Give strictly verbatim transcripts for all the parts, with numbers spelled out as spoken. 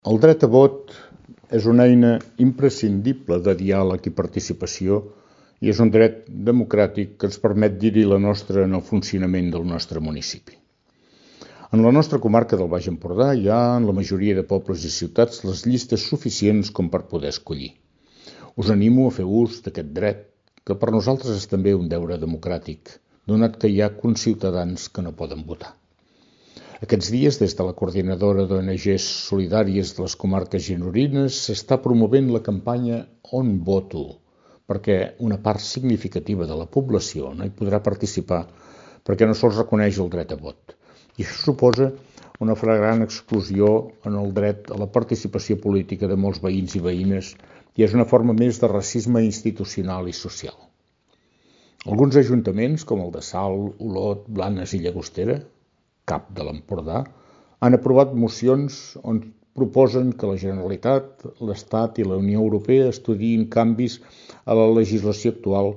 El dret a vot és una eina imprescindible de diàleg i participació i és un dret democràtic que ens permet dir-hi la nostra en el funcionament del nostre municipi. En la nostra comarca del Baix Empordà hi ha, en la majoria de pobles i ciutats, les llistes suficients com per poder escollir. Us animo a fer ús d'aquest dret, que per nosaltres és també un deure democràtic, donat que hi ha conciutadans que no poden votar. Aquests dies, des de la Coordinadora d'O N Ges Solidàries de les Comarques Gironines, s'està promovent la campanya On Voto, perquè una part significativa de la població no hi podrà participar perquè no se'ls reconeix el dret a vot. I això suposa una flagrant exclusió en el dret a la participació política de molts veïns i veïnes i és una forma més de racisme institucional i social. Alguns ajuntaments, com el de Salt, Olot, Blanes i Llagostera, cap de l'Empordà, han aprovat mocions on proposen que la Generalitat, l'Estat i la Unió Europea estudiïn canvis a la legislació actual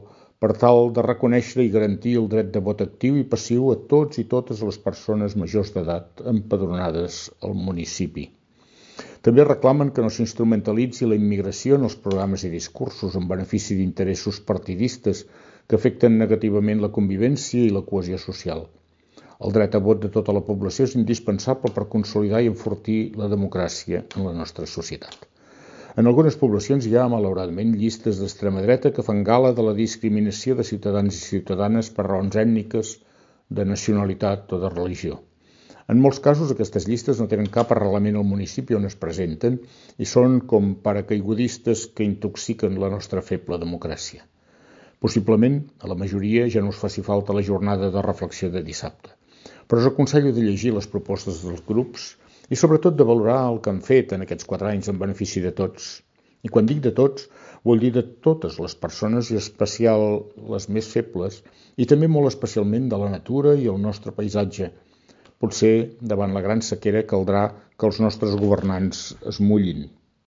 per tal de reconèixer i garantir el dret de vot actiu i passiu a tots i totes les persones majors d'edat empadronades al municipi. També reclamen que no s'instrumentalitzi la immigració en els programes i discursos en benefici d'interessos partidistes que afecten negativament la convivència i la cohesió social. El dret a vot de tota la població és indispensable per consolidar i enfortir la democràcia en la nostra societat. En algunes poblacions hi ha, malauradament, llistes d'extrema dreta que fan gala de la discriminació de ciutadans i ciutadanes per raons ètniques, de nacionalitat o de religió. En molts casos, aquestes llistes no tenen cap arrelament al municipi on es presenten i són com paracaigudistes que intoxiquen la nostra feble democràcia. Possiblement, a la majoria ja no us faci falta la jornada de reflexió de dissabte, però us aconsello de llegir les propostes dels grups i sobretot de valorar el que han fet en aquests quatre anys en benefici de tots. I quan dic de tots, vull dir de totes les persones i especial les més febles i també molt especialment de la natura i el nostre paisatge. Potser, davant la gran sequera, caldrà que els nostres governants es mullin.